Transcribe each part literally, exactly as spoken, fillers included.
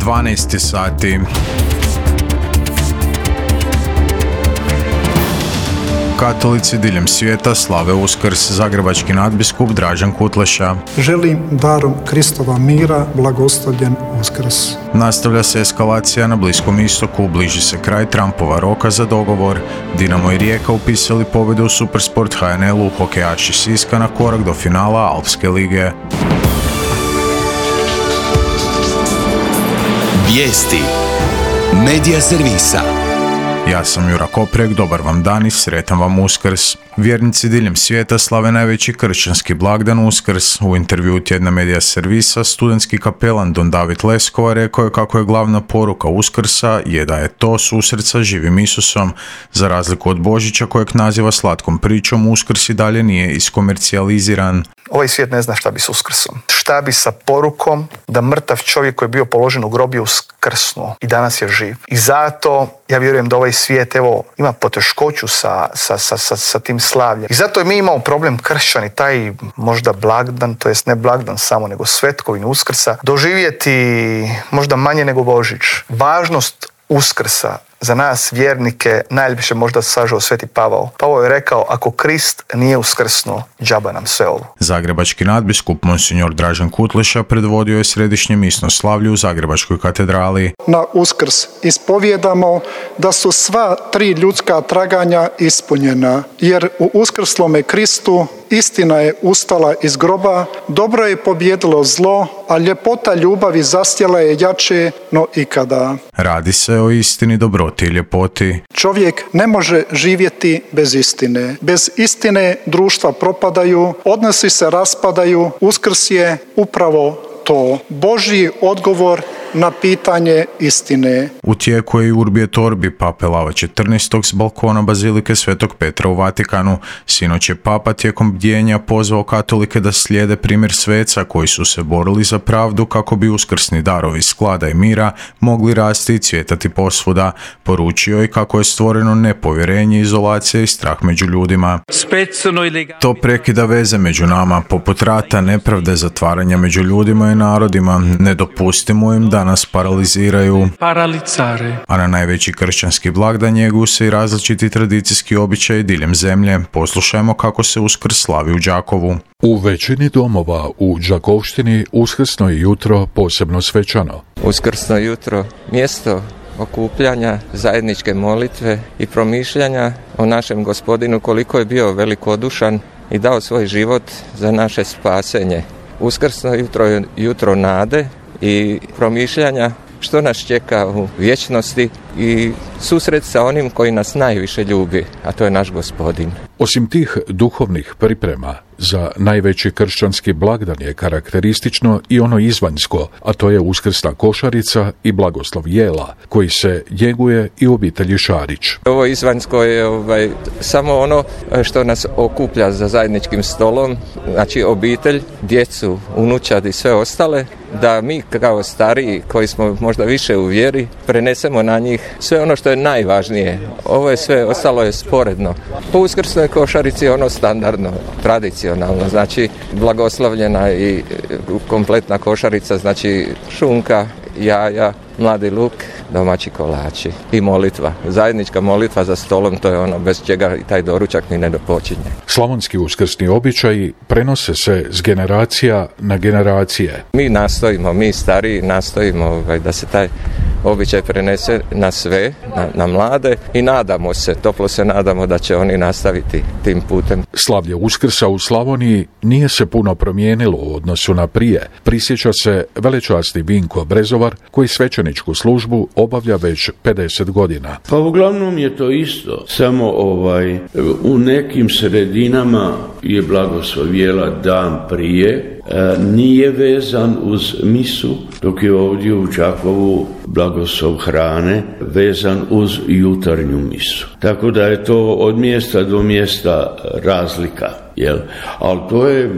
dvanaest sati. Katolici diljem svijeta slave Uskrs. Zagrebački nadbiskup Dražen Kutleša. Želim darom Kristova mira blagoslovljen Uskrs. Nastavlja se eskalacija na Bliskom istoku, bliži se kraj Trumpova roka za dogovor. Dinamo i Rijeka upisali pobjedu u Supersport H N L-u, hokejaši Siska na korak do finala Alpske lige. Vijesti Medija servisa. Ja sam Jura Koprek, dobar vam dan i sretan vam Uskrs. Vjernici diljem svijeta slave najveći kršćanski blagdan Uskrs. U intervjuu tjedna Medija servisa studentski kapelan Don David Leskova rekao je kako je glavna poruka Uskrsa je da je to susret sa živim Isusom. Za razliku od Božića kojeg naziva slatkom pričom, Uskrs i dalje nije iskomercijaliziran. Ovaj svijet ne zna šta bi s Uskrsom. Šta bi sa porukom da mrtav čovjek koji je bio položen u grob je uskrsnuo i danas je živ. I zato ja vjerujem da ovaj svijet evo ima poteškoću sa, sa, sa, sa, sa tim slavljem. I zato mi imamo problem kršćani, taj možda blagdan, to jest ne blagdan samo, nego svetkovinu Uskrsa, doživjeti možda manje nego Božić. Važnost Uskrsa za nas vjernike najljepše možda sažao Sveti Pavao. Pavao je rekao, ako Krist nije uskrsnuo, džaba nam sve ovo. Zagrebački nadbiskup Monsignor Dražen Kutleša predvodio je središnje misno slavlje u Zagrebačkoj katedrali. Na Uskrs ispovjedamo da su sva tri ljudska traganja ispunjena, jer u uskrslome Kristu istina je ustala iz groba, dobro je pobjedilo zlo, a ljepota ljubavi zasjela je jače no ikada. Radi se o istini, dobroti i ljepoti. Čovjek ne može živjeti bez istine. Bez istine društva propadaju, odnosi se raspadaju, Uskrs je upravo to. Božji odgovor na pitanje istine. U tijeku je i Urbi et Orbi Pape Lava četrnaestog s balkona Bazilike Svetog Petra u Vatikanu. Sinoć je Papa tijekom bdjenja pozvao katolike da slijede primjer sveca koji su se borili za pravdu kako bi uskrsni darovi sklada i mira mogli rasti i cvjetati posvuda. Poručio je kako je stvoreno nepovjerenje, izolacija i strah među ljudima. To prekida veze među nama, poput rata, nepravde, zatvaranja među ljudima i narodima. Ne dopustimo im da nas paraliziraju. A na najveći kršćanski blagdan njeguju se i različiti tradicijski običaji diljem zemlje. Poslušajmo kako se Uskrs slavi u Đakovu. U većini domova u Đakovštini uskrsno je jutro posebno svečano. Uskrsno jutro mjesto okupljanja, zajedničke molitve i promišljanja o našem Gospodinu koliko je bio velikodušan i dao svoj život za naše spasenje. Uskrsno jutro je jutro nade i promišljanja što nas čeka u vječnosti i susret sa onim koji nas najviše ljubi, a to je naš Gospodin. Osim tih duhovnih priprema, za najveći kršćanski blagdan je karakteristično i ono izvanjsko, a to je uskrsna košarica i blagoslov jela, koji se njeguje i u obitelji Šarić. Ovo izvanjsko je ovaj, samo ono što nas okuplja za zajedničkim stolom, znači obitelj, djecu, unučad i sve ostale, da mi kao stariji koji smo možda više u vjeri prenesemo na njih sve ono što je najvažnije. Ovo je sve ostalo je sporedno. Po uskrsnoj košarici je ono standardno, tradicionalno, znači blagoslovljena i kompletna košarica, znači šunka, jaja, mladi luk, domaći kolači i molitva. Zajednička molitva za stolom, to je ono bez čega i taj doručak ni ne dopočinje. Slavonski uskrsni običaji prenose se s generacija na generacije. Mi nastojimo, mi stariji nastojimo ovaj, da se taj običaj prenese na sve, na, na mlade i nadamo se, toplo se nadamo da će oni nastaviti tim putem. Slavlje Uskrsa u Slavoniji nije se puno promijenilo u odnosu na prije. Prisjeća se velečasni Vinko Brezovar koji svećeničku službu obavlja već pedeset godina. Pa uglavnom je to isto, samo ovaj u nekim sredinama je blagoslov jela dan prije, e, nije vezan uz misu, dok je ovdje u Đakovu blagoslov hrane vezan uz jutarnju misu. Tako da je to od mjesta do mjesta razlika, jel? Ali to je,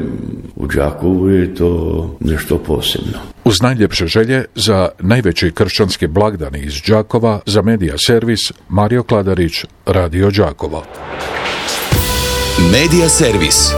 u Đakovu je to nešto posebno. Uz najljepše želje za najveći kršćanski blagdan iz Đakova, za Medija servis, Mario Kladarić, Radio Đakovo. Medija servis.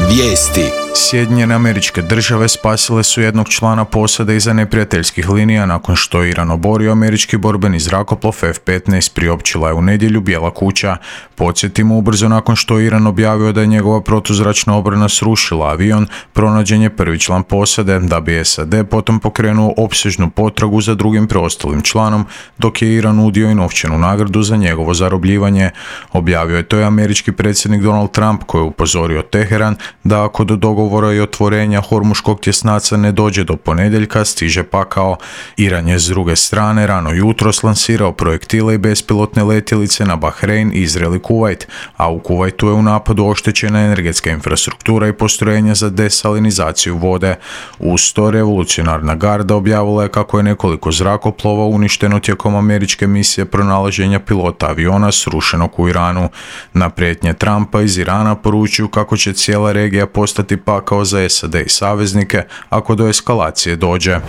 Vijesti. Sjedinjene Američke Države spasile su jednog člana posade iza neprijateljskih linija nakon što je Iran oborio američki borbeni zrakoplov F petnaest, priopćila je u nedjelju Bijela kuća. Podsjetimo, ubrzo nakon što je Iran objavio da je njegova protuzračna obrana srušila avion, pronađen je prvi član posade, da bi S A D potom pokrenuo opsežnu potragu za drugim preostalim članom, dok je Iran nudio i novčanu nagradu za njegovo zarobljivanje. Objavio je to i američki predsjednik Donald Trump, koji je upozorio Teheran da ako do dogovora i otvorenja Hormuškog tjesnaca ne dođe do ponedjeljka, stiže pakao. Iran je s druge strane rano jutros lansirao projektile i bespilotne letjelice na Bahrein, Izrael i Kuvajt, a u Kuvajtu je u napadu oštećena energetska infrastruktura i postrojenja za desalinizaciju vode. Uz to revolucionarna garda objavila je kako je nekoliko zrakoplova uništeno tijekom američke misije pronalaženja pilota aviona srušenog u Iranu. Na prijetnje Trumpa iz Irana poručuju kako će cijela regija postati pakao za S A D i saveznike ako do eskalacije dođe.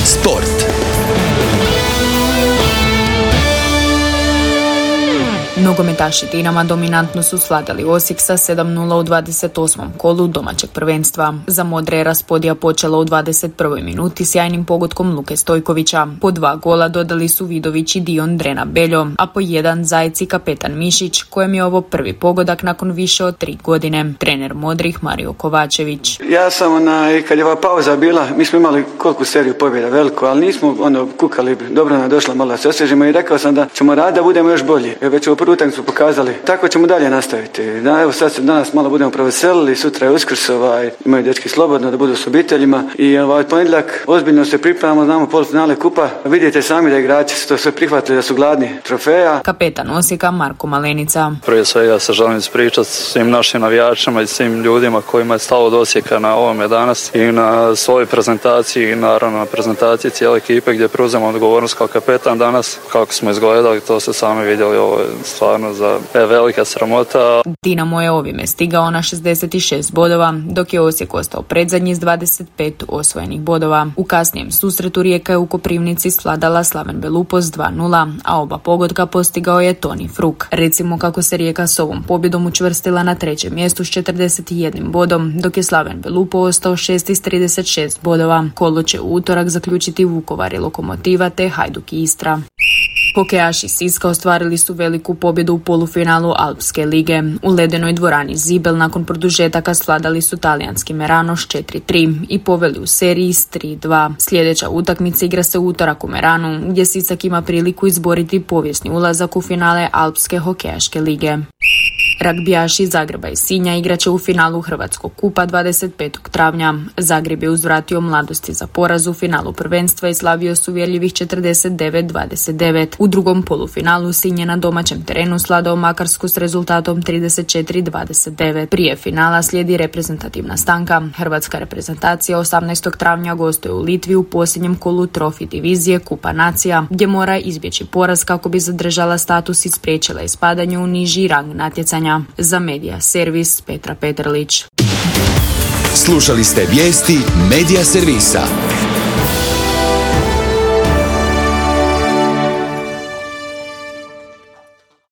Sport. Nogometaši Dinama dominantno su svladali Osijek sa sedam nula u dvadeset osmom kolu domaćeg prvenstva. Za modre je Raspodija počela u dvadeset prvoj minuti sjajnim pogodkom Luke Stojkovića. Po dva gola dodali su Vidović i Dion Drena Beljo, a po jedan Zajec i kapetan Mišić, kojem je ovo prvi pogodak nakon više od tri godine. Trener modrih Mario Kovačević. Ja sam onaj, kad je ova pauza bila, mi smo imali koliko seriju pobjeda veliku, ali nismo ono kukali, dobro nam došla, malo da se osvježimo i rekao sam da ćemo raditi da budemo još bolji. Već u utakmicu su pokazali. Tako ćemo dalje nastaviti. Da, evo sad se danas malo budemo proveselili, sutra je Uskrs, ovaj, imaju dečki slobodno da budu s obiteljima i ovaj ponedjeljak ozbiljno se pripremamo, znamo polufinale kupa. Vidite sami da igrači su to sve prihvatili, da su gladni trofeja. Kapetan Osijeka Marko Malenica. Prije svega se želim ispričati svim našim navijačima i svim ljudima kojima je stalo do Osijeka na ovome danas i na svojoj prezentaciji i naravno na prezentaciji cijele ekipe gdje preuzemo odgovornost kao kapetan danas. Kako smo izgledali, to ste sami vidjeli, ovo je stvarno za velika sramota. Dinamo je ovime stigao na šezdeset šest bodova, dok je Osijek ostao predzadnji s dvadeset pet osvojenih bodova. U kasnijem susretu Rijeka je u Koprivnici svladala Slaven Belupo s dva nula, a oba pogotka postigao je Toni Fruk. Recimo kako se Rijeka s ovom pobjedom učvrstila na trećem mjestu s četrdeset jedan bodom, dok je Slaven Belupo ostao šesti s trideset šest bodova. Kolo će u utorak zaključiti Vukovar i Lokomotiva te Hajduk i Istra. Hokejaši Siska ostvarili su veliku pobjedu u polufinalu Alpske lige. U ledenoj dvorani Zibel nakon produžetaka svladali su talijanski Merano s četiri tri i poveli u seriji s tri dva. Sljedeća utakmica igra se u utorak u Meranu, gdje Sisak ima priliku izboriti povijesni ulazak u finale Alpske hokejaške lige. Ragbijaši Zagreba i Sinja igraće u finalu Hrvatskog kupa dvadeset petog travnja. Zagreb je uzvratio Mladosti za poraz u finalu prvenstva i slavio su uvjerljivih četrdeset devet dvadeset devet. U drugom polufinalu Sinj je na domaćem terenu sladao Makarsku s rezultatom trideset četiri dvadeset devet. Prije finala slijedi reprezentativna stanka. Hrvatska reprezentacija osamnaestog travnja gostuje u Litvi u posljednjem kolu trofi divizije Kupa nacija, gdje mora izbjeći poraz kako bi zadržala status i spriječila ispadanje u niži rang natjecanja. Za Medija Servis Petra Petrlić. Slušali ste vijesti Medija Servisa.